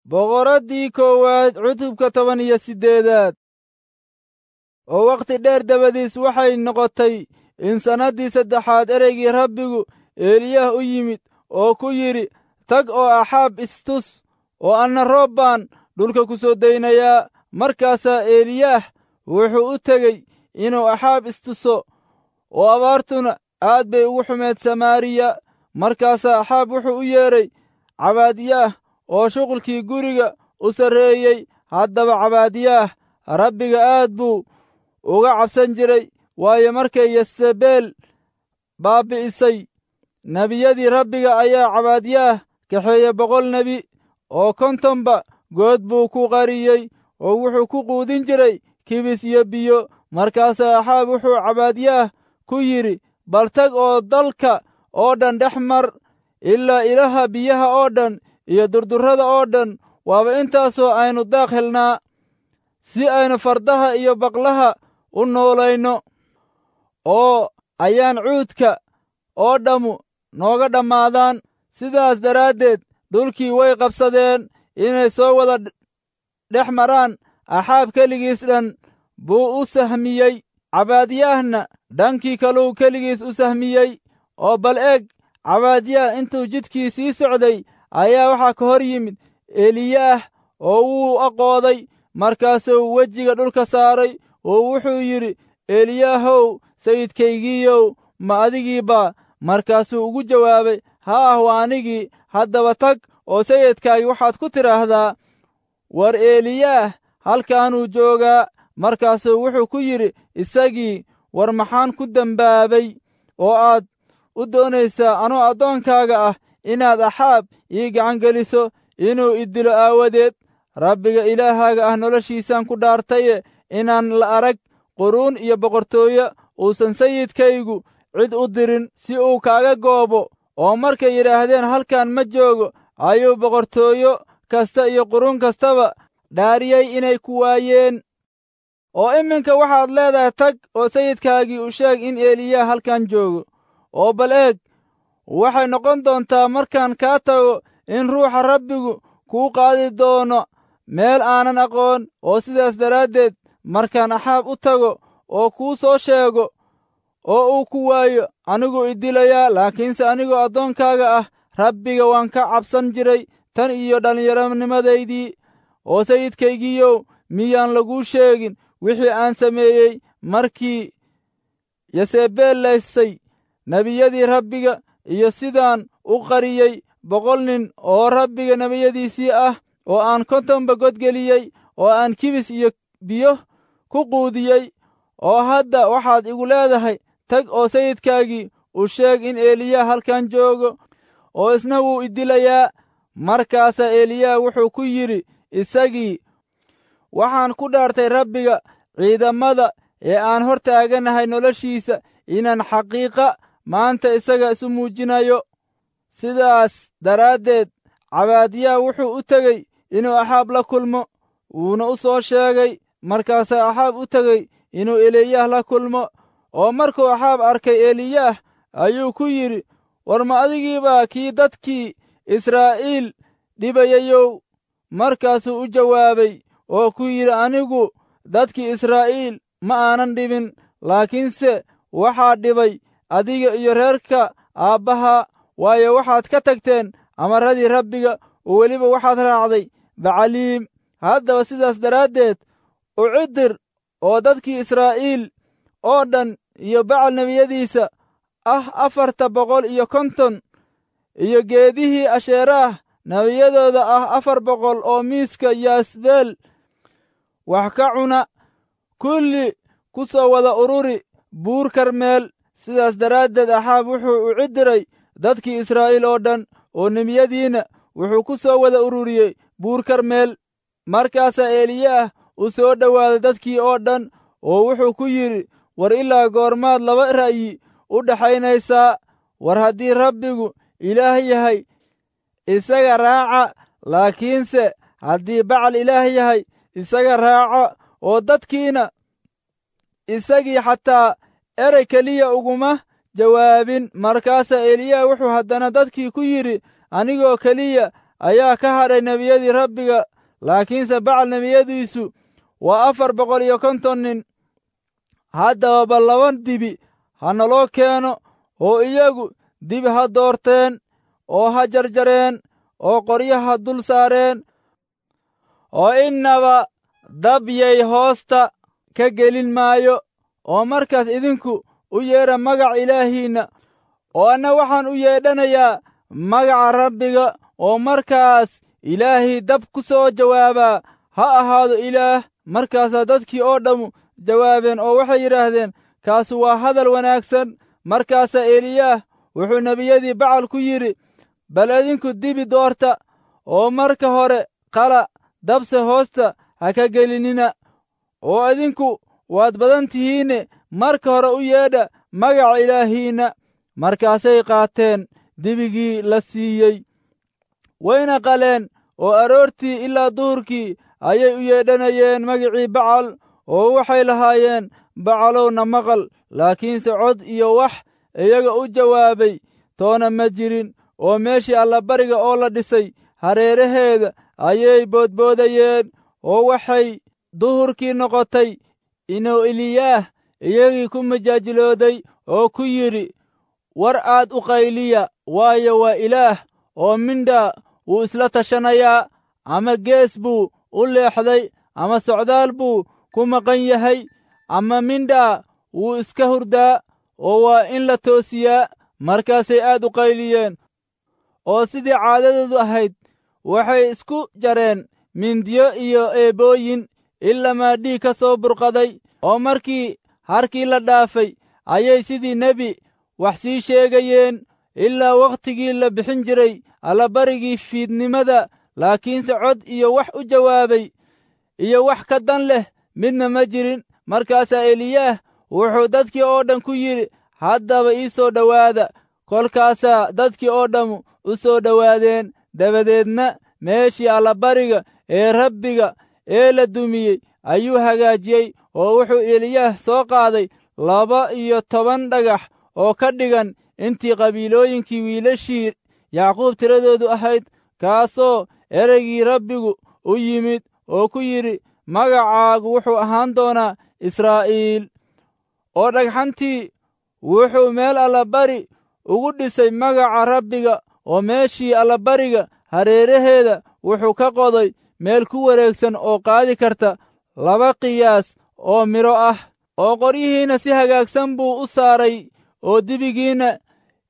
Boqoraddii koowaad cutubka 18aad. Oo wakhti dheer dabadiis waxay noqotay in sannaddii saddexaad ereygii Rabbigu Eliyaah u yimid oo ku yidhi, tag oo Axaab istus, oo anna roob baan dhulka ku soo daynayaa. Markaasaa Eliyaah wuxuu u tegey inuu Axaab istuso, oo abaartuna aad bay ugu xumeed Samaariya. Markaasaa Axaab wuxuu u yeedhay Cabaadiyaah oo shuqulkii guriga u sarreeyey. Haddaba Cabaadiyaah Rabbiga aad buu uga cabsan jiray, waayo markay Yesebeel baabbi'isay nebiyadii Rabbiga ayaa Cabaadiyaah kaxeeyey 100 nebi, oo 50ba good buu ku qariyey, oo wuxuu ku quudin jiray kibis iyo biyo. Markaasaa Axaab wuxuu Cabaadiyaah ku yidhi, bal tag oo dalka oo dhan dhex mar ilaa ilaha biyaha oo dhan iyo durdurrada oo dhan, waaba intaasoo aynu daaq helnaa, si aynu fardaha iyo baqlaha u noolayno, oo ayaan cuudka oo dhammu nooga dhammaadaan. Sidaas daraaddeed dhulkii way qabsadeen inay soo wada dhex maraan. Axaab keligiis dhan buu u sahmiyey, Cabaadiyaahna dhankii kaluu keligiis u sahmiyey. Oo bal eeg, Cabaadiyaah intuu jidkii sii socday ayaa waxaa ka hor yimid Eliyaah, oo wuu aqooday. Markaasuu wejiga dhulka saaray oo wuxuu yidhi, Eliyaahow, sayidkaygiiyow, ma adigii baa? Markaasuu ugu jawaabay, haah, waa anigii. Haddaba tag oo sayidkaagii waxaad ku tidhaahdaa, war Eliyaah halkaanuu joogaa. Markaasuu wuxuu ku yidhi isagii, war maxaan ku dembaabay oo aad u doonaysaa anoo addoonkaaga ah inaad Axaab ii gacan geliso inuu i dilo aawadeed? Rabbiga Ilaahaaga ah noloshiisaan ku dhaartaye, inaan la arag quruun iyo boqortooyo uusan sayidkaygu cid u dirin si uu kaaga goobo. Oo markay yidhaahdeen halkan ma joogo, ayuu boqortooyo kasta iyo quruun kastaba dhaariyey inay ku waayeen. Oo iminka waxaad leedahay, tag oo sayidkaagii u sheeg in Eliyaah halkan joogo. Oo bal eeg, waxay noqon doontaa markaan kaa tago in ruuxa Rabbigu kuu qaadi doono meel aanan aqoon, oo sidaas daraaddeed markaan Axaab u tago oo kuu soo sheego oo uu ku waayo, aniguu i dilayaa. Laakiinse anigoo addoonkaaga ah Rabbiga waan ka cabsan jiray tan iyo dhallinyaronimadaydii. Oo sayidkaygiiyow, miyaan laguu sheegin wixii aan sameeyey markii Yesebeel laysay nebiyadii Rabbiga, iyo sidaan u qariyey 100 nin oo Rabbiga nebiyadiisii ah, oo aan 50ba godgeliyey, oo aan kibis iyo biyo ku quudiyey? Oo hadda waxaad igu leedahay, tag oo sayidkaagii u sheeg in Eliyaah halkan joogo, oo isna wuu i dilayaa. Markaasaa Eliyaah wuxuu ku yidhi isagii, waxaan ku dhaartay Rabbiga ciidamada ee aan hor taaganahay noloshiisa inaan xaqiiqa maanta isaga isu muujinayo. Sidaas daraaddeed Cabaadiyaah wuxuu u tegey inuu Axaab la kulmo, wuuna u soo sheegay. Markaasaa Axaab u tegey inuu Eliyaah la kulmo. Oo markuu Axaab arkay Eliyaah ayuu ku yidhi, war ma adigiibaa kii dadkii Israa'iil dhibayayow? Markaasuu u jawaabay oo ku yidhi, anigu dadkii Israa'iil ma aanan dhibin, laakiinse waxaa dhibay adiga iyo reerka aabbaha, waayo waxaad ka tagteen amarradii Rabbiga, oo weliba waxaad raacday Bacaliim. Haddaba sidaas daraaddeed u cidir oo dadkii Israa'iil oo dhan iyo Bacal nebiyadiisa ah 450 iyo geedihii Asheeraah nebiyadooda ah 400 oo miiska Yaasbeel wax ka cuna, kulli ku soo wada ururi buur Karmeel. Sidaas daraaddeed Axaab wuxuu u cidiray dadkii Israa'iil oo dhan, oo nebiyadiina wuxuu ku soo wada ururiyey buur Karmeel. Markaasaa Eliyaah u soo dhowaaday dadkii oo dhan, oo wuxuu ku yidhi, war ilaa goormaad laba ra'yi u dhaxaynaysaa? War haddii Rabbigu Ilaah yahay, isaga raaca, laakiinse haddii Bacal Ilaah yahay, isaga raaca. Oo dadkiina isagii xataa erey keliya uguma jawaabin. Markaasaa Eliyaah wuxuu haddana dadkii ku yidhi, anigoo keliya ayaa ka hadhay nebiyadii Rabbiga, laakiinse Bacal nebiyadiisu waa 450 nin. Haddaba bal 2 dibi ha naloo keeno, oo iyagu dibi ha doorteen oo ha jarjareen oo qoryaha dul saareen, oo innaba dab yay hoosta ka gelin maayo. Oo markaas idinku u yeedha magaca Ilaahiinna, oo anna waxaan u yeedhanayaa magaca Rabbiga, oo markaas Ilaahii dab ku soo jawaabaa ha ahaado Ilaah. Markaasaa dadkii oo dhammu jawaabeen oo waxay yidhaahdeen, kaasu waa hadal wanaagsan. Markaasaa Eliyaah wuxuu nebiyadii Bacal ku yidhi, bal idinku dibi doorta, oo marka hore qala, dabse hoosta ha ka gelinina, oo idinku waad badan tihiinne marka hore u yeedha magaca Ilaahiinna. Markaasay qaateen dibigii la siiyey, wayna qaleen, oo aroortii ilaa duhurkii ayay u yeedhanayeen magicii Bacal, oo waxay lahaayeen, Bacalowna maqal. Laakiinse cod iyo wax iyaga u jawaabay toona ma jirin, oo meeshii allabariga oo la dhisay hareeraheeda ayay boodboodayeen. Oo waxay duhurkii noqotay inuu Eliyaah iyagii ku majaajilooday oo ku yidhi, war aad u qayliya, waayo waa Ilaah, oo mindhaa wuu isla tashanayaa, ama gees buu u leexday, ama socdaal buu ku maqan yahay, ama mindhaa wuu iska hurdaa, oo waa in la toosiyaa. Markaasay aad u qayliyeen, oo sidii caadadoodu ahayd waxay isku jareen mindiyo iyo eebooyin ilamaa dhiig ka soo burqaday. Oo markii harkii la dhaafay ayay sidii nebi wax sii sheegayeen ilaa wakhtigii la bixin jiray allabarigii fiidnimada. Laakiinse cod iyo wax u jawaabay iyo wax ka dan leh midna ma jirin. Markaasaa Eliyaah wuxuu dadkii oo dhan ku yidhi, haddaba ii soo dhowaada. Kolkaasaa dadkii oo dhammu u soo dhowaadeen. Dabadeedna meeshii allabariga ee Rabbiga ee la dumiyey ayuu hagaajiyey, oo wuxuu Eliyaah soo qaaday 12 dhagax oo ka dhigan intii qabiilooyinkii wiilashii Yacquub tiradoodu ahayd, kaasoo ereygii Rabbigu u yimid oo ku yidhi, magacaagu wuxuu ahaan doonaa Israa'iil. Oo dhagxantii wuxuu meel allabari ugu dhisay magaca Rabbiga, oo meeshii allabariga hareeraheeda wuxuu ka qoday meel ku wareegsan oo qaadi karta 2 qiyaas oo midho ah. Oo qoryihiinna si hagaagsan buu u saaray, oo dibigiinna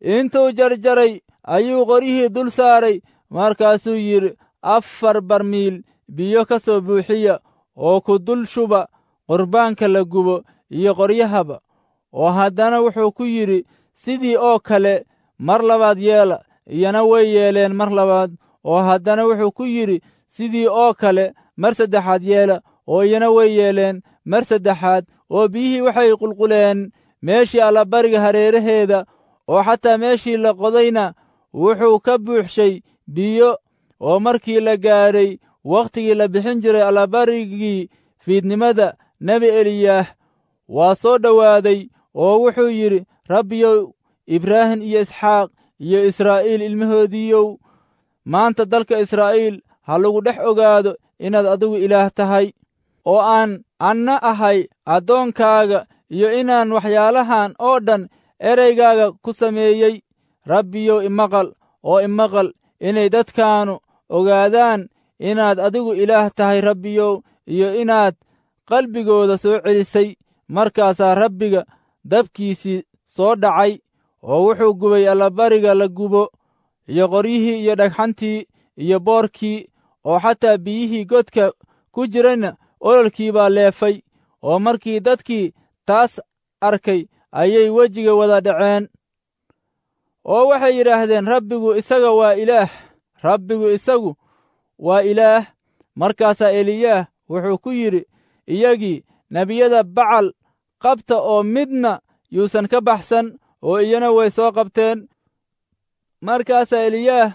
intuu jarjaray ayuu qoryihii dul saaray. Markaasuu yidhi, 4 barmiil biyo ka soo buuxiya oo ku dul shuba qurbaanka la gubo iyo qoryahaba. Oo haddana wuxuu ku yidhi, sidii oo kale mar labaad yeela. Iyana way yeeleen mar labaad. Oo haddana wuxuu ku yidhi, sidii oo kale mar saddexaad yeela. Oo iyana way yeeleen mar saddexaad. Oo biyihii waxay qulquleen meeshii allabariga hareeraheeda, oo xataa meeshii la qodayna wuxuu ka buuxshay biyo. Oo markii la gaadhay wakhtigii la bixin jiray allabarigii fiidnimada, nebi Eliyaah waa soo dhowaaday oo wuxuu yidhi, Rabbiyow, Ibraahim iyo Isxaaq iyo Israa'iil ilmahoodiiyow, maanta dalka Israa'iil ha lagu dhex ogaado inaad adigu Ilaah tahay, oo aan anna ahay addoonkaaga, iyo inaan waxyaalahan oo dhan ereygaaga ku sameeyey. Rabbiyow, imaqal oo imaqal inay dadkaanu ogaadaan inaad adigu Ilaah tahay, Rabbiyow, iyo inaad qalbigooda soo celisay. Markaasaa Rabbiga dabkiisii soo dhacay, oo wuxuu gubay allabariga la gubo, iyo qoryihii iyo dhagxantii iyo boorkii, oo xataa biyihii godka ku jirayna ololkii baa leefay. Oo markii dadkii taas arkay ayay wejiga wada dhaceen, oo waxay yidhaahdeen, Rabbigu isaga waa Ilaah, Rabbigu isagu waa Ilaah. Markaasaa Eliyaah wuxuu ku yidhi iyagii, nebiyada Bacal qabta oo midna yuusan ka baxsan. Oo iyana way soo qabteen. Markaasaa Eliyaah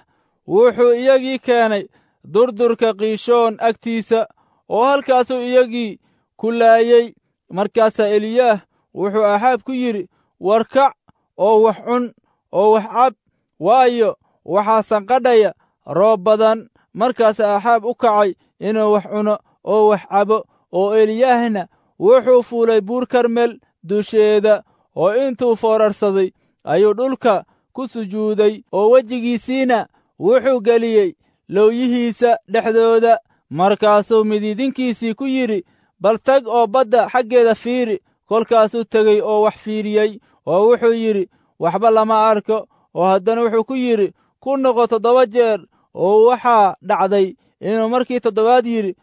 wuxuu iyagii keenay durdurka Qiishoon agtiisa, oo halkaasuu iyagii ku laayey. Markaasaa Eliyaah wuxuu Axaab ku yidhi, war kac oo wax cun oo wax cab, waayo waxaa sanqadhaya roob badan. Markaas Axaab u kacay inuu wax cuno oo wax cabo, oo Eliyaahna wuxuu fuulay buur Karmel dusheeda, oo intuu foorarsaday ayuu dhulka ku sujuuday, oo wejigiisiina wuxuu geliyey lowyihiisa dhexdooda. Markaasuu midiidinkiisii ku yidhi, Bal tag oo badda xaggeeda fiiri. Kolkaasuu tegey oo wax fiiriyey, oo wuxuu yidhi, Waxba lama arko. Oo haddana wuxuu ku yidhi, Ku noqo 7 jeer. Oo waxaa dhacday inuu markii toddobaad yidhi,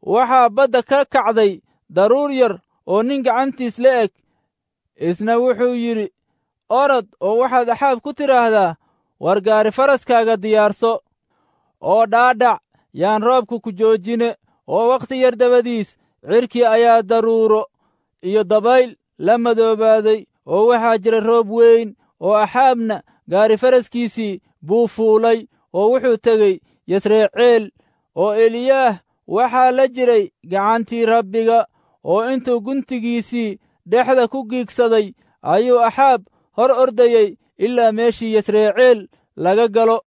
Waxaa badda ka kacday daruur yar oo nin gacantiis la eg. Isna wuxuu yidhi, Orod oo waxaad Axaab ku tidhaahdaa, War gaari faraskaaga diyaarso oo dhaadhac, yaan roobku ku joojine. Oo wakhti yar dabadiis cirkii ayaa daruuro iyo dabayl la madoobaaday, oo waxaa jira roob weyn, oo Axaabna gaari faraskiisii buu fuulay, oo wuxuu tegey Yasreeceel. Oo Eliyaah waxaa la jiray gacantii Rabbiga, oo intuu guntigiisii dhexda ku giigsaday ayuu Axaab hor ordayey ilaa meeshii Yasreeceel laga galo.